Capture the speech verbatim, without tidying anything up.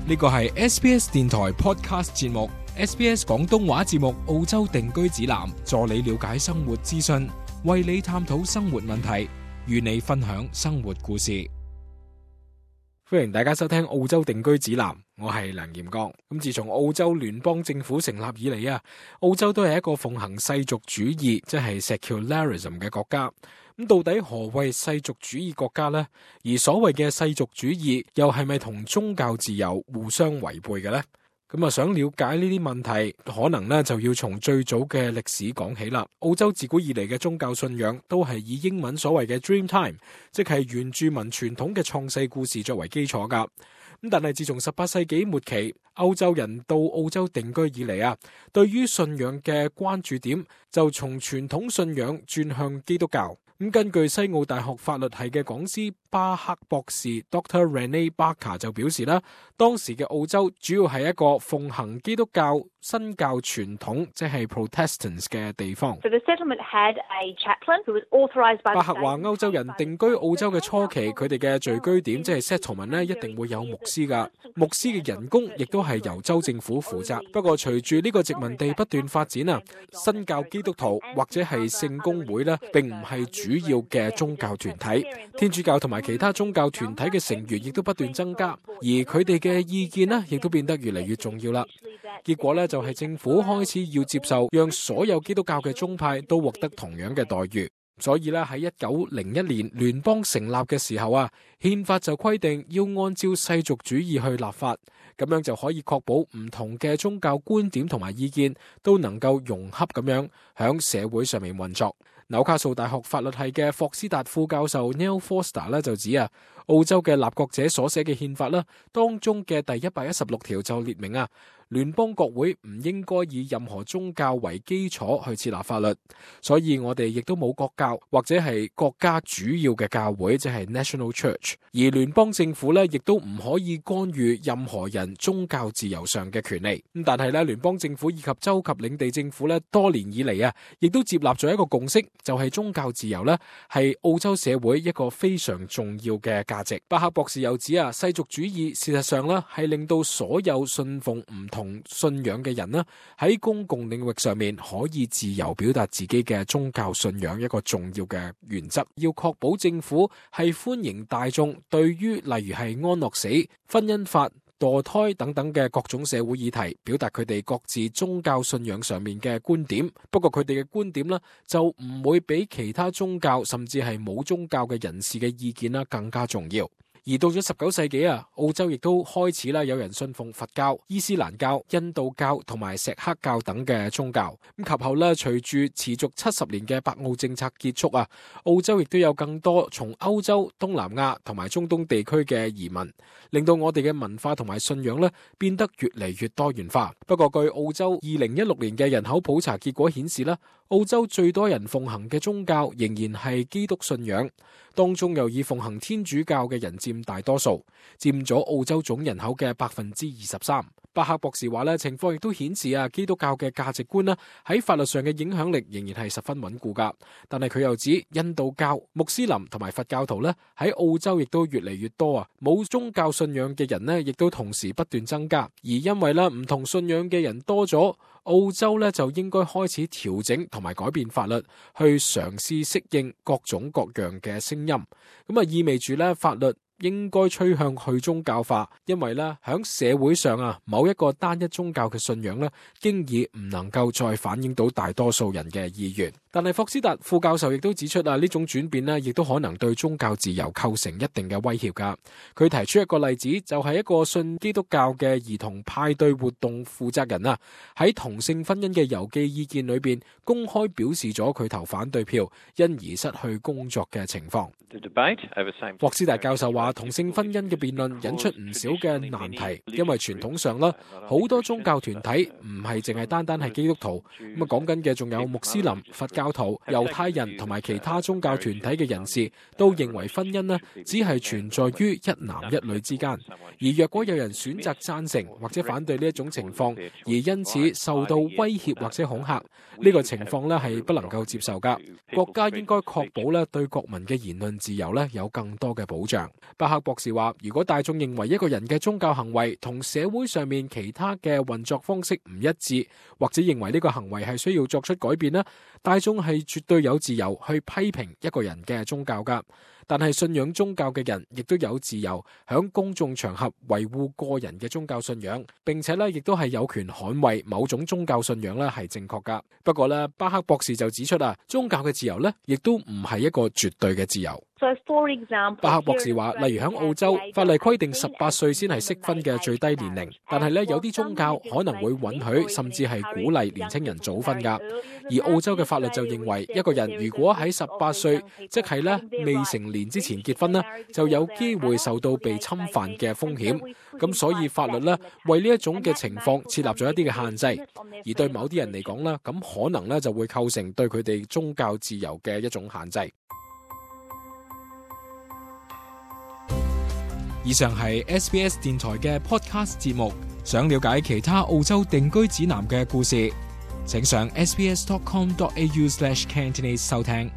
呢個係 S B S 電台 Podcast 節目 ，S B S 廣東話節目澳洲定居指南，助你了解生活資訊，為你探討生活問題，與你分享生活故事。歡迎大家收聽澳洲定居指南，我係梁炎剛。咁自從澳洲聯邦政府成立以嚟啊，澳洲都係一個奉行世俗主義，即係 secularism 嘅國家。咁到底何謂世俗主義國家呢？而所謂嘅世俗主義又係咪同宗教自由互相違背嘅呢？咁啊，想了解呢啲問題，可能呢就要從最早嘅歷史講起啦。澳洲自古以嚟嘅宗教信仰都係以英文所謂嘅 Dreamtime，即係原住民傳統嘅創世故事作為基礎噶。咁但係自從十八世紀末期歐洲人到澳洲定居以嚟啊，對於信仰嘅關注點就從傳統信仰轉向基督教。咁根據西澳大學法律系嘅講師巴克博士 Doctor Renee Barker 就表示啦，當時嘅澳洲主要係一個奉行基督教新教傳統，即係 Protestants 嘅地方。So the settlement had a chaplain who was authorized by the state. 巴克話歐洲人定居澳洲嘅初期，佢哋嘅聚居點即係 settlement 咧，一定會有牧師噶，牧師嘅人工亦都係由州政府負責。不過隨住呢個殖民地不斷發展啊，新教基督徒或者係聖公會咧，並唔係主要嘅宗教團體，天主教同埋其他宗教團體嘅成員亦都不斷增加，而佢哋嘅意見呢亦都變得越嚟越重要啦。結果呢，就係政府開始要接受，讓所有基督教嘅宗派都獲得同樣嘅待遇。所以呢，喺一九零一年聯邦成立嘅時候啊，憲法就規定要按照世俗主義去立法，咁樣就可以確保唔同嘅宗教觀點同埋意見都能夠融洽咁樣響社會上面運作。紐卡素大學法律系嘅霍斯達副教授 Neil Forster 咧就指啊，澳洲嘅立國者所寫嘅憲法啦，當中嘅第一百一十六條就列明啊，聯邦國會唔應該以任何宗教為基礎去設立法律，所以我哋亦都冇國教或者係國家主要嘅教會，即係 National Church， 而聯邦政府咧亦都唔可以干預任何人宗教自由上嘅權利。咁但係咧，聯邦政府以及州及領地政府咧多年以嚟啊，亦都接納咗一個共識，就係宗教自由咧係澳洲社會一個非常重要嘅價值。巴克博士又指啊，世俗主義事實上咧係令到所有信奉唔同信仰嘅人咧喺公共領域上面可以自由表達自己嘅宗教信仰一個重要嘅原則。要確保政府係歡迎大眾對於例如係安樂死、婚姻法、墮胎等等嘅各種社會議題表達佢哋各自宗教信仰上面嘅觀點。不過佢哋嘅觀點呢，就唔會比其他宗教甚至係冇宗教嘅人士嘅意見啦更加重要。而到咗十九世紀啊，澳洲亦都開始啦，有人信奉佛教、伊斯蘭教、印度教同埋錫克教等嘅宗教。咁及後咧，隨住持續七十年嘅白澳政策結束啊，澳洲亦都有更多從歐洲、東南亞同埋中東地區嘅移民，令到我哋嘅文化同埋信仰咧變得越嚟越多元化。不過據澳洲二零一六年嘅人口普查結果顯示啦，澳洲最多人奉行嘅宗教仍然係基督信仰，當中又以奉行天主教嘅人佔大多數，佔咗澳洲總人口嘅百分之二十三。巴克博士話咧，情況亦都顯示啊，基督教嘅價值觀啦喺法律上嘅影響力仍然係十分穩固噶。但係佢又指印度教、穆斯林同埋佛教徒咧喺澳洲亦都越嚟越多啊，冇宗教信仰嘅人咧亦都同時不斷增加。而因為咧唔同信仰嘅人多咗，澳洲咧就應該開始調整同埋改變法律，去嘗試適應各種各樣嘅聲音。咁啊意味住咧法律應該趨向去宗教化，因為咧響社會上啊，某一個單一宗教嘅信仰咧，經已唔能夠再反映到大多數人嘅意願。但係霍斯達副教授亦都指出啊，呢種轉變咧，亦都可能對宗教自由構成一定嘅威脅噶。佢提出一個例子，就係一個信基督教嘅兒童派對活動負責人啊，喺同性婚姻嘅郵寄意見裏邊公開表示咗佢投反對票，因而失去工作嘅情況。霍斯達教授話，同性婚姻嘅辯論引出唔少嘅難題，因為傳統上啦，好多宗教團體唔係淨係單單係基督徒，咁啊講緊嘅仲有穆斯林、佛教徒、猶太人同埋其他宗教團體嘅人士，都認為婚姻呢只係存在於一男一女之間，而若果有人選擇贊成或者反對呢一種情況，而因此受到威脅或者恐嚇，呢個情況呢係不能夠接受噶。國家應該確保咧對國民嘅言論自由咧有更多嘅保障。巴克博士話，如果大眾認為一個人嘅宗教行為同社會上面其他嘅運作方式唔一致，或者認為呢個行為係需要作出改變呢，大眾係絕對有自由去批評一個人嘅宗教噶。但係信仰宗教嘅人亦都有自由響公眾場合維護個人嘅宗教信仰，並且咧亦都係有權捍衛某種宗教信仰咧係正確噶。不過咧，巴克博士就指出啊，宗教嘅自由咧亦都唔係一個絕對嘅自由。So for example, 巴克博士話，例如喺澳洲，法例規定十八歲先係適婚嘅最低年齡，但係咧有啲宗教可能會允許甚至係鼓勵年輕人早婚噶。而澳洲嘅法律就認為，一個人如果喺十八歲，即係咧未成年之前結婚呢，就有機會受到被侵犯嘅風險。咁所以法律咧為呢一種嘅情況設立咗一啲嘅限制，而對某啲人嚟講咧，咁可能咧就會構成對佢哋宗教自由嘅一種限制。以上係 S B S 電台嘅 podcast 節目，想了解其他澳洲定居指南嘅故事，請上 s b s dot com dot a u slash cantonese 收聽。